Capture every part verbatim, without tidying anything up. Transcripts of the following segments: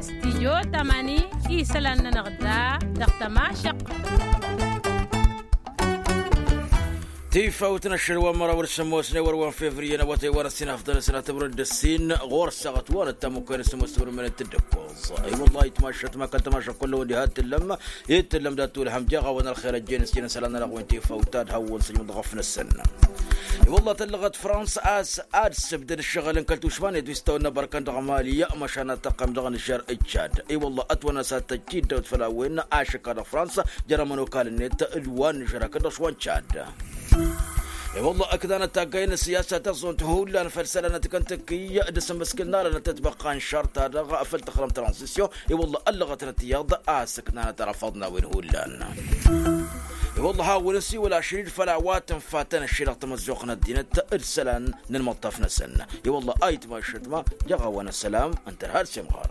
Stidyo tamani, isălan-nănăɣ da dăɣ-tămašăɣt. Tifawt n-ašăl wa n-măraw d-sămoosne wăr-wa n-fevriye n-awătay wa n-ăssin afḍăn ăsnat ămrăd d-ăssin ɣur-săɣăt wa n-ăttamukăy n-sămoos tămrămănet d-ăkkoẓ. I-wăllah itmašăt ma kăl-tămašăt kullăwăn diha t-tǝllăm. Itǝllăm dat-tulhăm jaɣ-awăn ălxer ăjjeen s-jănăsălan n-ălɣwen tifawt ad-hawwăn s-ăjmăḍ ɣăf-năsăn. I-wăllah tăllăɣăt frans a-s ad-sǝbdăd ǝššăɣǝl n-kăl-tušman i-ad-wi s-tawănna bărkăn dăɣ-mali măšan ad-tăqqăm dăɣ-nǝžžer ǝjjad. I-wăllah ătwănna s-ad-tăjjid dăwt făll-a-wen ašăk a dăɣ-frans jer-ămănokal ǝnnet d-wa n-nǝžžer hakd-dăɣ šwa n-čad. I-wăllah ǝknanăt taggay n-ăssiyasa taẓẓunt hullan făll-isălan n-tikăntăkki d-asǝmmǝskǝl n-alănăt tătbăqqa n-išăr-ta-dăɣ făll-tăxrăm tranzisyon. I-wăllah ăllăɣăt-năt iyyăḍ a-s ǝknanăt arăfaḍ n-a-wen hullan. I-wăllah a-wen ăsiwăl ašăl-dd făll-a-wa tǝnfa tănăšše dăɣ-tamăzzuɣt n-ăddinăt d-isălan n-ălmăṭṭaf-năsăn. I-wăllah a itmašăt ma jăɣ-a-wa n-ăssălam ǝnta ărhad s-imɣar.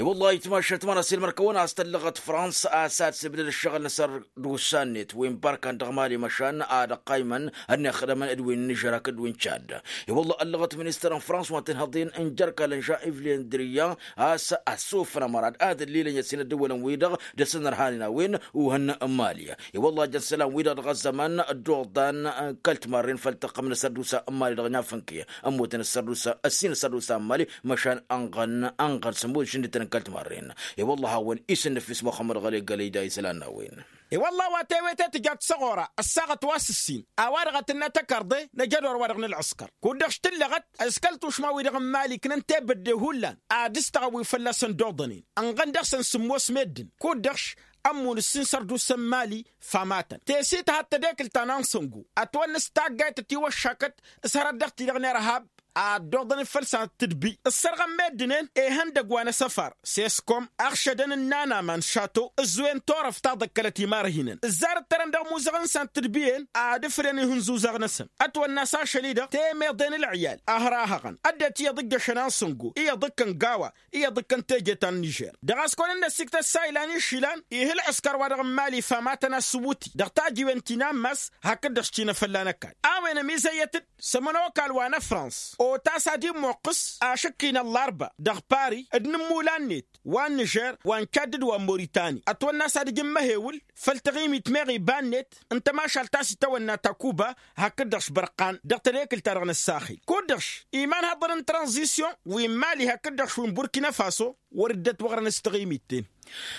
I-wăllah a itmašăt ma n-ăsilmăr-kăwăn a-s tăllăɣăt frans a-s ad-sǝbdăd ǝššăɣǝl n-săr d-usan-net wi n-bărkan dăɣ-mali măšan ad-ăqqaymăn ănnixdămăn d-wi n-nǝžžăr hakd wi n-čad. I-wălla ăllăɣăt ministăr n-frans wa n-tinhăḍin n-jerkal n-žan-iv lendriya a-s ăssufăn ămăra d-ad-ǝllilăn i-ăssin ăddăwălăn-wi-dăɣ dăr-s ănărhanen a-wen uhǝn n-mali. I-wălla a jăn isălan-wi-dăɣ dăɣ-ăzzăman d-oḍan n-kăl-timarren făll-tăqqăm n-asărdusa n-mali dăɣ-nafănke ămmutăn asărdusa ăssin asărdusa n-mali măšan ănɣăn ănɣăn sămmud šǝndǝtăn n-kăl-timarren. I-wălla a hawăn-isǝnnǝf ismăxămmăd ɣălăy gălăy da isălan n-a-wen. I-wălla a-wa tewete tǝjat s-ăɣora ăssaɣăt wa s-ǝssin a-wa-dăɣ a tǝnna tăkarḍe n-ajădor-wa-dăɣ n-ălɣǝskăr kud-dăɣ s-tǝllăɣăt s-kăl-tušma-wi-dăɣ n-mali ǝknăn tebădde hullan ad-ǝstăɣăn wi fălla-săn d-oḍănen ănɣăn dăɣ-săn sǝmmos meddǝn kud-dăɣ š-ămmun ǝssin săr-dd-ussăn mali. Famatăn tesit hattădekǝl ta n-ansăngo ătwănnăs taggayt ătiwăššakăt s-hărăt dăɣ-ti-dăɣ n-irhab ad-dd-oḍănen făll-săn tǝdbi ǝssărɣăn meddǝnen ehăndăg wa n-asăfar s-eskom ăɣšădăn ǝnnan aman šato ǝzwen torăft ta ḍăkkălăt imarhinăn ǝzzar ǝttărăn dăɣ-imuzăɣăn-săn tǝdbiyen ad-ǝfrǝyăn ihǝnzuzăɣ-năsăn. Ătwănna s-ašăl-i-dăɣ temeḍe n-ălɣiyal a hărahăɣăn ăddinăt iyyăḍ ǝjjăšăn ansăngo iyyăḍ ǝkkăn gawa iyyăḍ ǝkkăn teje ta n-nižer dăɣ-a-s kăwăn-dd-năsiktăt s-a ilan išilan ih' ǝlɣǝskăr-wa-dăɣ n-mali famatăn a-s ǝwwǝti dăɣ-tajiwen ti n-ammas hakd-dăɣ s-tinăfălla n-ăkall a-wen ămizăyyăt-dd s-ămănokal wa n-ăfrans otas ad-immoqqǝs ašǝkki n-ăllarba dăɣ-pari d-inǝmmulan-net wa n-nižer wa n-čadd d-wa n-moritani ătwănna a-s ad-ǝjǝmmăhewǝl făll-taɣimit meɣ iba-net n-tămašalt ta s-itawănna takuba hakd-dăɣ š-bărqan dăɣ-tadekǝlt-ta-dăɣ n-ăssaxil kud-dăɣ š-iman haḍăr n-tranzisyon wi n-mali hakd-dăɣ š-wi n-burkina faso wăr dd-ătwăɣrăn s-taɣimit-ten.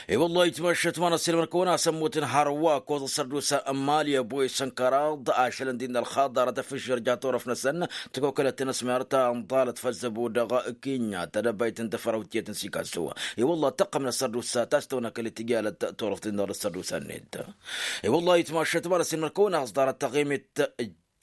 I-wăllah itmašăt ma n-ăsilmăr-kăwăn a-s ămmutăn hărwa ăkkoẓ ăssărdusa n-mali ăboyăs n-kăraḍ ašălăn d-innă ălxaḍarăt afǝžžer ja turăft-năsăn tăkokălăt-in ăsmert ta ănḍalăt făll-zăbo dăɣ-kinya tadăbayt n-tafărawt tiyyăt n-sikasso. I-wăllah tăqqăm n-ăssărdusa ta s-tăwănăkăl i-tijalăt turăft-in dăɣ-ăssărdusa-net. I-wăllah itmašăt ma n-ăsilmăr-kăwăn a-s ḍarăt taɣimit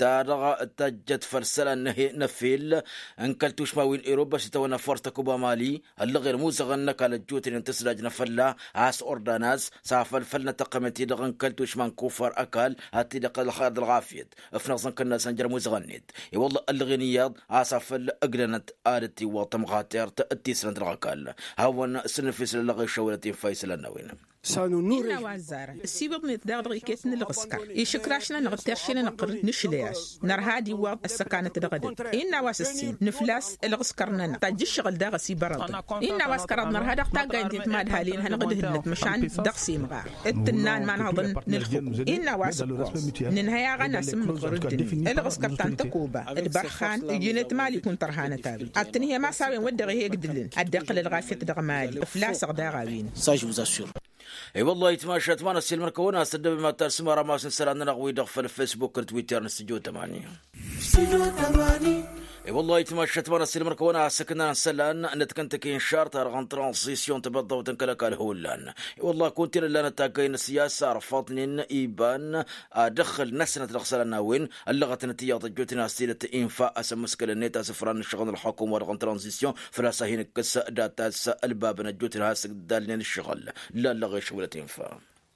ta-dăɣ tăjjăt făll-isălan n-efil n-kăl-tušma wi n-iruba s-itawănna fors tăkuba mali ăllăɣen imuzăɣăn n-ăkall ăjjootnen tǝsdajnă fălla-s ordanas s-afăl făll-nătăqqămet-i-dăɣ n-kăl-tušma n-kufăr ăkall ad-t-dd-iqqăl ălxer d-ălɣafyăt. Ǝfnăẓăn kănnasăn jer-imuzăɣăn-net i-wălla ăllăɣen iyyăḍ a-s afăl ǝglănăt ad-dd-tiwwăḍ tămɣatert d-tisnăt dăɣ-ăkall. Hawăn-sǝnnǝf isălan ăllăɣen išăwălăt infa isălan n-a-wen. Innă a-wa ăzzarăn ăsiwǝḍnet daɣ dăɣ-iket n-ǝlɣǝskăr išǝkraš-nănăɣ d-terše-nănăɣ ɣur-dd nǝšlăy-as nărha ad-iwwăḍ ăssăkanăt dăɣ-edăgg. Innă a-wa s-ǝssin nǝflas ǝlɣǝskăr-nănăɣ tajja ǝššăɣǝl daɣ ăsibărăḍăn. Innă a-wa s-kăraḍ nărha daɣ taggaynt-net madhalin hanăɣ-dd-hǝnnăt măšan dăɣ-s imɣar d-tǝnna n-imanhăḍăn n-ǝlxǝqu. Innă a-wa s-ǝkkoẓ nǝnhăy-aɣ ănasǝmmǝk ɣur-dd-net ǝlɣǝskăr ta n-tăkoba d-ibărxan ǝjǝnet mali kunta ărhanăt a-wen ad-tǝnhǝyăm a-s a-wen wăr dăɣ-ih'-e egdǝlăn ad-dd-iqqǝl ălɣafyăt dăɣ-mali ǝflasăɣ daɣ a-wen. I-wăllah itmašat ma n-ăssiilmăr-kăwăn a-s ăddăbem ad-talsǝm arămas n-isălan-nănăɣ-wi-dăɣ făll-fesbuk d-twitter n-studio tămani. I-wăllah itmašat ma n-ăssiilmăr-kăwăn a-s ǝknan isălan n-ad-kăntăki n-išar-ta-dăɣ n-tranzisyon tibăḍḍăwt n-kăl-ăkall hullan. I-wăllah kunta-en ǝllanăt taggay n-ăssiyasa ărfăḍnen iban ad-ǝxǝl-năsnăt dăɣ-isălan n-a-wen ăllăɣătnăt iyyăḍ ăjjootnen a-s tidăt infa asǝmmǝskăl-net asǝfran n-ǝššăɣǝl n-ălxukum-wa-dăɣ n-tranzisyon făl-a-s ad-hin-ǝkkǝs data-s ălbab n-ăjjootnen has-ǝgdalnen ǝššăɣǝl. Lallăɣ i-ašăwălăt infa.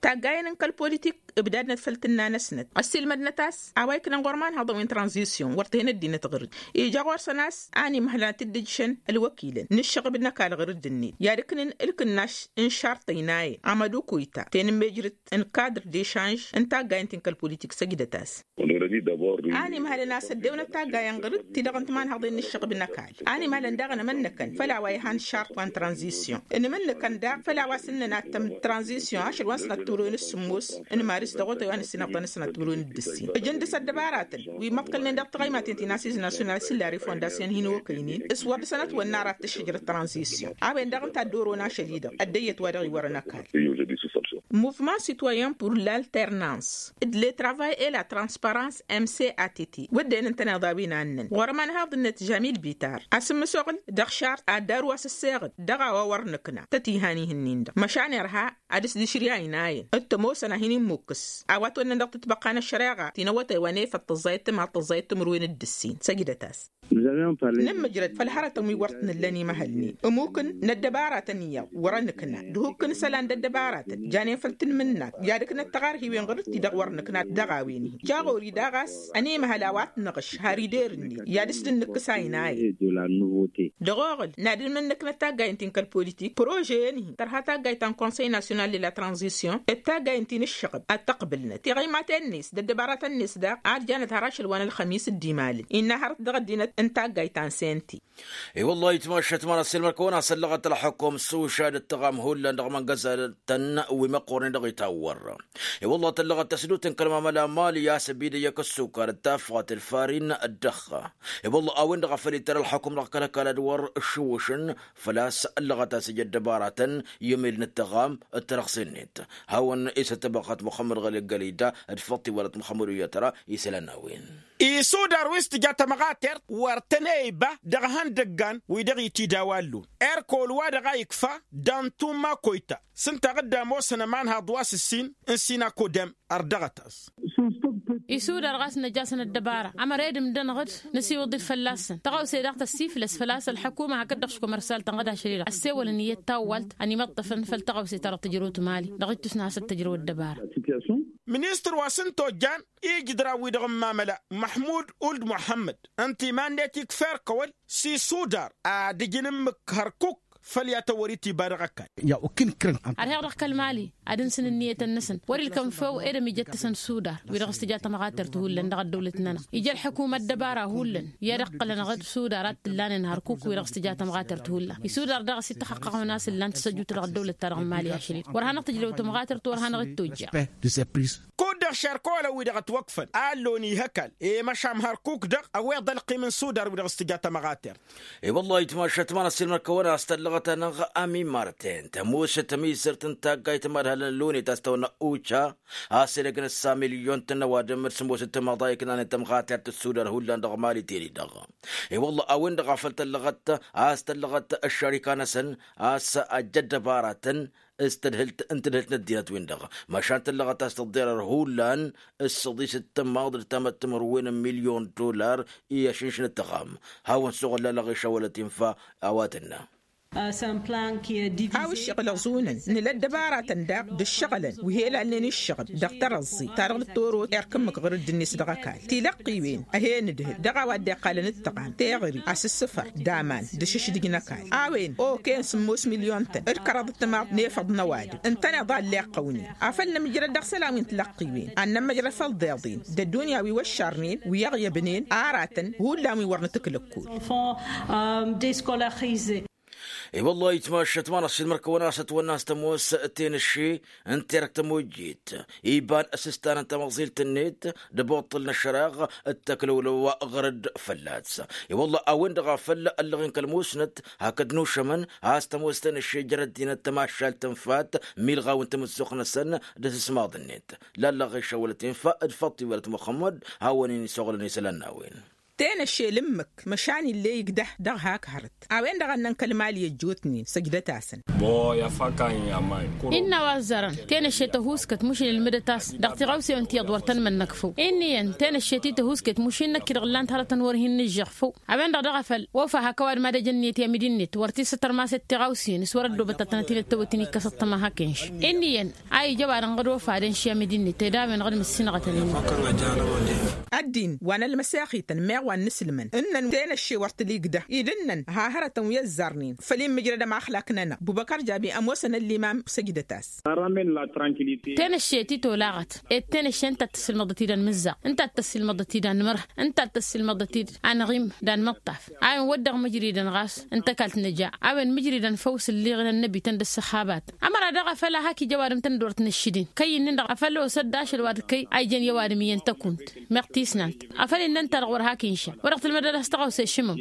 Taggayen n-kăl-politik ǝbdadnăt făll-tǝnna-năsnăt ăssiilmădnăt a-s a-wa iknăn ɣur-imanhaḍăn wi n-tranzisyon wăr t-hen ăddinăt ɣǝr-dd. Ija ɣur-săn a-s a ănimhălăn ad-t-dd-ǝjšăn ălwăkilăn n-ǝššăɣǝb n-ăkall ɣǝr-dd-net i-ad-ǝknǝn ǝlkǝnnaš n-išarṭăy n-ayăn amădukuyta tenǝmmejrǝt n-kadr d-ešanž n-taggayen ti n-kăl-politik săjdăt-as. A ănimhălăn a-s ăddewnăt taggayen ɣǝr-dd ti-dăɣ n-timanhaḍen n-ǝššăɣǝb n-ăkall. A ănimhălăn daɣ ănmănnăkăn făll-a-wa ihan šart wa n-tranzisyon ănmănnăkăn daɣ făll-a-wa s-ǝnnăn ad-tămm tranzisyon ašăl wa n-sănat tǝmrǝwen s-sǝmmos n-maris dăɣ-otăy wa n-ǝssin ăbḍăn s-sănat tǝmrǝwen d-ǝssin ǝjǝn dăɣ-s ăddăbaratăn wi măḍkălnen dăɣ-taɣăymaten ti n-asiz nasyonal s-illa refondasyon hin-okăynen s-wăr dăɣ-sănăt wănna ara t-ǝššǝjrăt tranzisyon a-wen-dăɣ ǝnta dd-oron ašăl-i-dăɣ ăddăyyăt wa dăɣ-iwărăn ăkall. Muvman sitwayen pur l-alternans d-le travay e la transparans m c a t t wădden ǝntăneḍ a-wen a ǝnnăn ɣur-ămanhaḍ-net žamil bitar asǝmmǝsoɣǝl dăɣ-šart ad-daru asǝsseɣ-dd dăɣ-a-wa wăr nǝkna tăt-ihan ihǝnnin-dăɣ măšan irha ad-s-dd-išrǝy ayǝnayăn d-tămoosăn a hin-immukǝs a-wa t-wănnăn dăɣ-tǝtbăqqa n-ăššăreɣa ti n-awătay wa n-efăḍ tăẓẓayăt tǝmaḍ tăẓẓayăt tǝmǝrwen d-ǝssin săjdăt-as. Nǝmmǝjrăd făll-hărătăn wi wăr t-nǝllăn imăhălnen ămukǝn n-ăddăbaratăn iyyăḍ wăr-ănǝkna d-ihukk n-isălan d-ăddăbaratăn janen făll-tǝnmǝnnakt i-ad-ǝknăt taɣarhiwen ɣur-dd-ti-dăɣ wăr nǝkna dăɣ-a-wen-hi. Jaɣori daɣ a-s ănimăhăl a-wa t-năɣš har ider-net i-ad-s dd-nǝkkǝs a inayen. Dăɣ-oɣǝl n-ad-ǝlmǝnnǝknăt taggayen ti n-kăl-politik prože-en-hi tărha taggayt ta n-konsăy nasyonal de la tranzisyon d-taggayen ti n-ǝššăɣǝb ad-t-ăqbǝlnăt tiɣăymaten-net d-ăddăbaratăn-net daɣ ad-janăt har ašăl wa n-ălxămis d-imalǝn innă hărăt dăɣ-ăddinăt n-taggayt ta n-senti. I-wăllah itmašat ma n-asǝlmăr kăwăn-asăllăɣăt ălxukum s-ušad d-tăɣam hullan dăɣ-imăngăzatăn wi măqqoornen dăɣ-itawwăr. I-wăllah tăllăɣăt tăsdut n-kăl-mamăla mali a-s ăbidăy akǝssukar d-tafɣat d-farin d-dăɣ-ɣa. I-wăllah a-wen-dăɣ a făl ittar ălxukum dăɣ-kăl-ăkall ad-wăr ǝššǝwwǝšăn făl-a-s ăllăɣăt a-s ija ăddăbaratăn i-emel n-ǝttăɣam d-tărăɣse-net. Hawăn-isăttăbăɣăt muxămmăd ɣăli ăggălida d-făḍt iwălăt muxămmăd uyyăt ra isălan n-a-wen. Isudar wi s-tǝja tămɣatert wăr tăn-e-iba dăɣ-ihăndăggan wi dăɣ-itidawallun erkol wa dăɣ-a ikfa d-antumma koyta s-ǝnta a dd-ămoosăn ămanhaḍ wa s-ǝssin n-sinakodem. Ărdăɣăt-as. Isudar ɣas năj'-asăn ăddăbara ămăra edǝm-dănăɣ-dd năsiwǝḍ-dd fălla-săn tăɣawse daɣ tăssiflăs făl-a-s ălḥăkuma hakd-dăɣ s-komărsal-tăn ɣǝd ašăl-i-dăɣ ăssewălăn iyyăt tawwalt ănimăṭṭăfăn făll-tăɣawse ta dăɣ-tǝjrăwt mali dăɣ-ittus n-ad-hasăn-tǝjrăw ăddăbara. Ministăr wa s-ǝnta ojjan ijǝdran-wi-dăɣ n-imamăla măḥmud uld muḥămmăd ǝnta iman-net ikfa erk ăwăl s-isudar ad-ǝjǝn ǝmmǝk hărkuk făll-i-ad-tăwwăr-itiba dăɣ-ăkall. Ărheɣ dăɣ-kăl-mali ad-ǝnsǝn ǝnniyătăn-năsăn wăr-ilkăn făw ed ămijăt-tăsăn sudar wi-dăɣ s-tǝja tămɣatert hullan dăɣ-ăddăwlăt-nănăɣ ija ălḥăkum ăddăbara hullan i-ad-ǝqqǝlăn ɣǝd sudar ad-t-ǝllanen hărkuk wi-dăɣ s-tǝja tămɣatert hullan isudar daɣ a-s ităxăqqăɣ-wen a-s ǝllan tǝsăjjut dăɣ-ăddăwlăt-ta-dăɣ n-mali ašăl-i-dăɣ wăr hanăɣ-tǝjrăw tămɣatert wăr hanăɣ-dd-tojja. Kud-dăɣ šerkăwălăn-wi-dăɣ ătwăkfăn a ălloon ihăkal i-măšan hărkuk-dăɣ ăwweḍ ălqim n-sudar wi-dăɣ s-tǝja tămɣatert. I-wăllah itmašat ma-năssilmăr-kăwăn a-s tăllăɣăt-anăɣ amimarten tămoosăt ămizărt n-taggayt n-imadhălăn lonet a-s tăwănna uca a-s edăgg n-ǝssa milyon-tăn n-ăwadǝm d-sămoosăt timaḍa iknanen tămɣatert d-sudar hullan dăɣ-mali teni-dăɣ. I-wăllah a-wen-dăɣ a făl tăllăɣăt a-s tăllăɣăt ăššarika-năsăn a-s ăjja ăddăbaratăn s-tadhǝlt n-tadhǝlt n-ăddinăt-win-dăɣ măšan tăllăɣăt a-s tǝḍḍerăr hullan s-săḍis d-tǝmmaḍ d-tamăttămărwen n-milyon dollar i-ašǝnšǝn d-tăɣam. Hawăn-suɣǝl lallăɣ išawălăt infa a-wa tǝnna. Hawăn-iššăɣǝl ăẓunăn nǝla ăddăbaratăn daɣ d-ǝššăɣǝlăn wi he-lalnen iššăɣǝb dăɣ-tărăẓẓi ta dăɣ-nǝttorot erk ǝmmǝk ɣur-dd-net dăɣ-ăkall tilăqqiwen ăhenǝdhǝl dăɣ-a-wa dd-iqqalăn d-tăɣam teɣări asǝssǝfăr d-aman d-ašǝšdǝj n-ăkall a-wen oken sǝmmos milyon-tăn d-kăraḍ d-timaḍ n-efăḍ n-ăwadǝm ǝntăneḍ a ǝlleɣ. Qăwnen afăl nămjrăd dăɣ-isălan wi n-tilăqqiwen ad-nămmăjrăd făll-iḍeḍen d-ăddunya wi wăššarnen wi ăɣyăbnen aratăn hullan wi wăr nǝtǝklăkkul. I-wăllah itmašăt ma-năssilmăr-kăwăn a-s ătwănna a-s tămoos tenăšše n-terăkt tămojjit iba n-asǝstan n-tamăẓilt-net d-abuṭṭǝl n-ašăreɣ d-takălăwlăw ɣur-dd fălla-s. I-wăllah a-wen-dăɣ a făl ăllăɣen kăl-musnăt hakd nušămăn a-s tămoos tenăšše jer-ăddinăt tămašalt tănfat milɣaw n-tamǝzzuɣt-năsăn d-asǝsmaḍ-net. Lallăɣ išăwălăt infa d-faḍt iwălăt muxămmăd hawăn-in-isuɣǝlăn isălan n-a-wen. Tenăšše l-ǝmmǝk măšan ill'-e igdăh dăɣ-hak hărăt. A-wen-dăɣ a ǝnnăn kăl-mali ăjjootnen săjdăt-asăn. Innă a-wa ăzzarăn tenăšše tăhuuskăt mušin ǝlmǝdăt-as dăɣ-tiɣawsewen ti iyyăḍ wăr tăn-mănnăk făw. Inn'-iyyăn tenăšše ti tăhuuskăt mušin năkk-i-dăɣ ǝllan-t hărătăn wăr hin-nǝžžăɣ făw. A-wen-dăɣ daɣ a făl ofa hak ăwadǝm ad-ăj ǝnniyăt i-amǝd-net wăr t-issătărmasăt tiɣawsen s-wăr-ăddoobăt ad-tănăt-in-dd-tăwăt-in ikkăs ăṭṭăma hak-inš. Inn'-iyyăn a ija ăwadǝm ɣǝd ofa ad-ănš i-amǝd-net ed a-wen-dăɣ d-mǝssinăɣătăn-in. Ăddin wa n-ălmăsexităn meɣ wa n-inǝslǝmăn ǝnnăn tenăšše wăr t-ǝlǝgdăh-i d-ǝnnăn ha hărătăn wi ăzzarnen făll-inmǝjrăd ămaxlak-nănăɣ bubăkăr jabi ămoosăn ăllimam săjdăt-as. Tenăšše ti tolaɣăt ed tenăšše ǝnta a t-tăssilmăḍăt-dd anmǝzzaɣ ǝnta a t-tăssilmăḍăt-dd anmǝrh ǝnta a t-tăssilmăḍăt-dd anɣim d-anmǝṭṭaf. A-wen wădden mǝjridăn ɣas ǝnta a kall-t nǝja a-wen mǝjridăn făw s-ǝlliɣen ănnăbităn d-ǝssăxabatăn. Ămăra daɣ a făl a hak ija ăwadǝm tăn-dd-wăr t-nǝššǝdin kăy-inn'-dăɣ a făl osăt d-ašăl wa d-kăy a ijăn i-ăwadǝm iyyăn tăkunt. Meɣ tisnant a făl innă ǝnta-dăɣ wăr hak inša wăr-dăɣ tǝlmădăd a-s tăɣawse šǝmăm.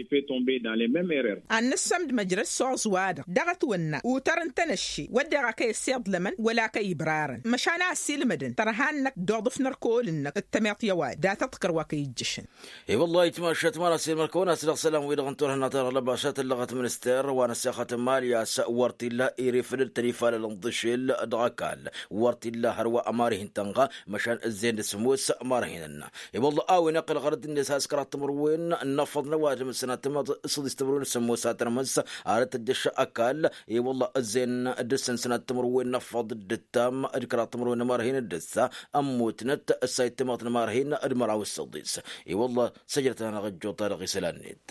Ad-nǝssămd măjrăd s-oẓ-wa-dăɣ dăɣ-ătwănna utăr n-tenăšše wădden a kăy-ăssiḍlămăn wăla kăy-ibrarăn măšan a ăssiilmădăn tărha-năk d-oḍǝf n-ărkăwăl-năk d-tămiḍt i-ăwadǝm dat-ăḍkăr wa kăy-ijjăšăn. I-wăllah itmašat măra s-ilmăr kăwăn-as-dăɣ isălan-wi-dăɣ n-turhǝnna ta dăɣ-lăbasat ǝllăɣăt minister wa n-ăssexăt n-imali a-s wăr t-illa irifǝdăd-tăn ifalăl n-iḍǝšel dăɣ-ăkall wăr t-illa hărwa ămarihin-tăn-ɣa măšan ǝzzeyăn d-sămoos ămarihin-nănăɣ. I-wălla a-wen iqqăl ɣărăt-net has-kăraḍ timǝrwen n-afăḍ n-ăwadǝm s-sănat timǝrwen s-sămoos a tărmǝs. Arăt dd-ăššăɣ ăkall i-wălla ǝzzeyăn dăr-săn sănat timǝrwen n-afăḍ d-ǝttam d-kăraḍ timǝrwen n-ămarhin d-ǝssa ămmutnăt ǝssa ittimaḍ n-ămarhin d-măraw s-săḍis. I-wălla săjdăt-anăɣ ăjjoḍ-ta-dăɣ isălan-net.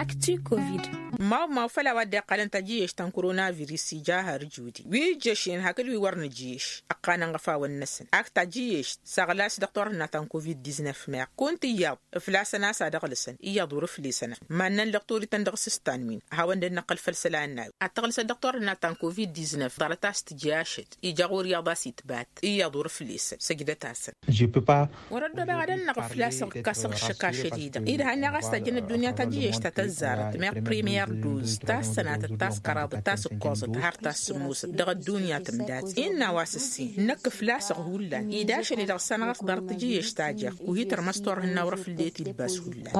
Akti covid. Mawmaw făll-a-wa dd-iqqălăn tajǝyyešt ta n-koronavirus ija har judi wi ijjăšnen hakd wi wăr nǝjǝyyeš ǝqqanăn ɣăfawăn-năsăn ak tajǝyyešt s-aɣlas dăɣ-turhǝnna ta n-covid-diznăf meɣ kunta iyyăḍ ǝflasăn a-s ad-ăɣlǝsăn iyyăḍ wăr-ǝflesăn. Mannăn lăɣtorităn dăɣ-s s-tanwin a hawăn-dd-năqqăl făll-isălan n-a-wen ad-tăɣlǝsăt dăɣ-turhǝnna ta n-covid-diznăf ḍarăt a-s tǝjǝy ašăl ija ɣur-iyyăḍ a-s itbat iyyăḍ wăr-ǝflesăn săjdăt-asăn. Wăr-ăddoobeɣ ad-ănnăɣ ǝflasăɣ ǝkkasăɣ ǝššăk ašăl-i-dăɣ-i d-hannăɣ a-s tajjăn ăddunya tajǝyyešt ta tăzzarăt meɣ primiyăr duz ta s-sănatăt ta s-kăraḍăt ta s-ǝkkoẓăt har ta s-sǝmmusăt dăɣ-ăddunya tǝmdat. Innă a-wa s-ǝssin năkk ǝflasăɣ hullan-i d-ašăl-i-dăɣ s-anăɣ-s ḍarăt tajǝyyešt ta jer-ku hi-tărmăs turhǝnna wăr-făl dd-e-t-ilbas hullan.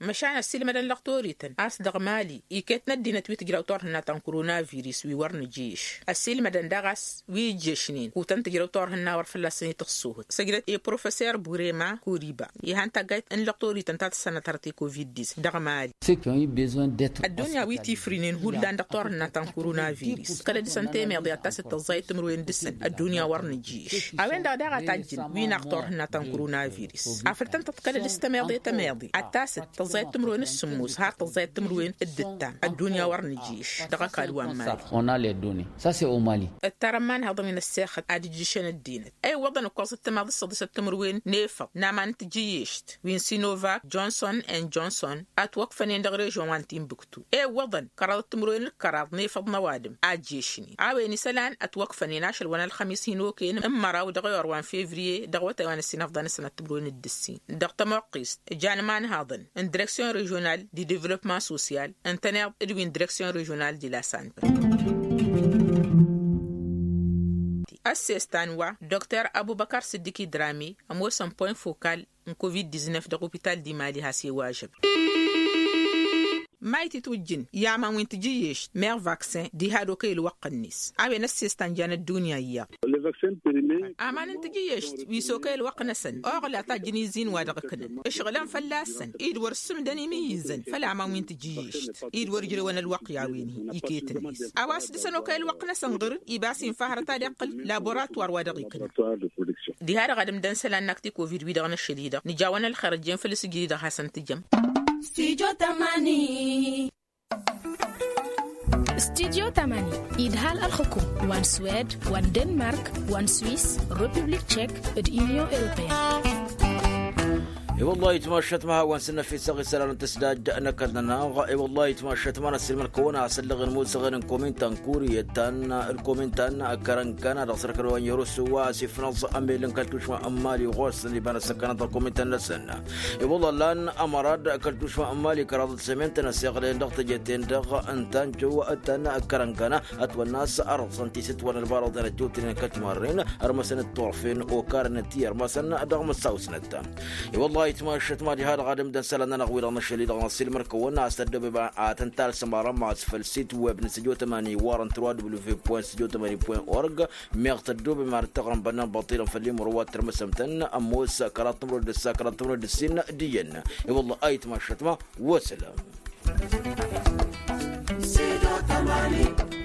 Măšan ăssiilmădăn lăɣtorităn a-s dăɣ-mali iket n-ăddinăt wi tǝjraw turhǝnna ta n-koronavirus wi wăr nǝjǝyyeš ăssiilmădăn daɣ a-s wi ijjăšnen kutăn tǝjrăw turhǝnna wăr fălla-săn itǝxsuhǝt săjdăt i-professor burema koriba. Ihan taggayt n-lăɣtorităn ta tǝssanăt hărăt i-covid-dis dăɣ-mali. Ăddunya wi tifrǝynen hullan dăɣ-turhǝnna ta n-koronavirus kăla dăr-săn temeḍe ad-tasăt tăẓẓayăt timǝrwen dăr-săn ăddunya wăr nǝjjǝyš. A-wen-dăɣ daɣ a tajjǝn wi naɣ turhǝnna ta n-koronavirus afăl tăn-tăḍkălăd s-temeḍe temeḍe ad-tasăt tăẓẓayăt timǝrwen d-sǝmmos har tăẓẓayăt timǝrwen d-ǝttam ăddunya wăr nǝjjǝyš. Dăɣ-ăkall wa n-mali. Ǝttarăn imanhăḍăn wi n-ăssexăt ad-ǝjjǝšăn ăddinăt ewăḍăn ǝkkoẓăt timaḍ d-săḍisăt timǝrwen n-efăḍ n-aman n-tijǝyyešt wi n-sinovak johnson and johnson ătwăkfănen dăɣ-režon wa n-tinbǝktu ewăḍăn kăraḍăt timǝrwen d-kăraḍ n-efăḍ n-ăwadǝm a ǝjješnen a-wen isălan ătwăkfănen ašăl wa n-ălxămis hin-okăyăn n-măraw dăɣ-ewăr wa n-fevriye dăɣ-awătay wa n-ăssinăfḍa n-ăsănat timǝrwen d-ǝssin dăɣ-tămoqqist jan imanhăḍăn n-direksyon režional di devlopman sosyal ǝntăneḍ d-wi n-direksyon režional di la sante. Ăssestan wa dr abubăkar sǝddiki drami ămoosăn point fokal n-covid-diznăf dăɣ-opital di mali has-e-wa ažăb. Mayt itwǝjjǝn i-aman wi n-tijǝyyešt meɣ vaksin diha d-okăy ălwăqq-net a-wen ăssestan jan ăddunya iyyăḍ. Aman n-tijǝyyešt wi s-okăy ălwăqq-năsăn oɣla tajjǝn izin wa dăɣ-ǝknăn ǝšɣǝlăn fălla-săn i-dd wăr-ǝssǝmdăn imǝyyǝzăn făll-aman wi n-tijǝyyešt i-dd wăr-ǝjrewăn ălwăqq i-a-wen-hi iket-net a-wa s-dăr-săn okăy ălwăqq-năsăn ɣǝr-dd ibas infa hărăt ad-iqqǝl laboratwar wa dăɣ-iknăn. Diha-dăɣ ad-ǝmdăn isălan n-akti covid-wi-dăɣ n-ašăl-i-dăɣ nǝjawăn ălxer ăjjeen făll-asǝjjǝd-i-dăɣ hasăn-tǝjăm. Stujo tamani. Stujo tamani idhal ălxǝkum wa n-swed wa n-denmark wa n-swis, republik tchek, d-union europeyăn. I-wăllah itmašăt ma hawăn s-năfisăɣ isălan n-tăsdad n-ăkall-nănăɣ. I-wăllah itmašăt ma n-ăssilmăl-kăwăn asăllăɣ n-musăɣen n-komin ta n-kuriyăt ta n-komin ta n-kărăn kăna dăɣ-sărkăl wa n-yărusu wa s-ifnăẓ ămel n-kăl-tušma n-mali ɣur-săn iba n-ăssăkănăt dăɣ-komin ta n-năsăn. I-wăllah lan ămărad kăl-tušma n-mali kăraḍăt sămen-tăn ăsiɣlăyăn dăɣ-teje-ten-dăɣ n-tanjo ta n-kărăn kăna ătwănna a-s ărẓăn tisǝtwăn ălbarăḍen ăjjootnen kăl-timarren. Ărmăsăn d-turfen okar n-ti ărmăsăn dăɣ-măssawsnăt. I-wăllah itmašăt ma diha-dăɣ ad-ǝmdăn isălan-nănăɣ wi-dăɣ năšăl-i-dăɣ n-ăssiilmăr-kăwăn a-s tăddobem a tăn-talsăm arămas făll-sit web n-săjo tămani war n-tărwa w f point săjo tămani point org. Meɣ tăddobem ar t-ăɣrǝm bănnan băṭṭilăn făll-imru wa t-tărmăsăm-tăn ămoos kăraḍ timru d-ǝssa kăraḍ timru d-ǝssin d-iyyăn. I-wăllah a itmašăt ma wăsălăm. Săjo tămani.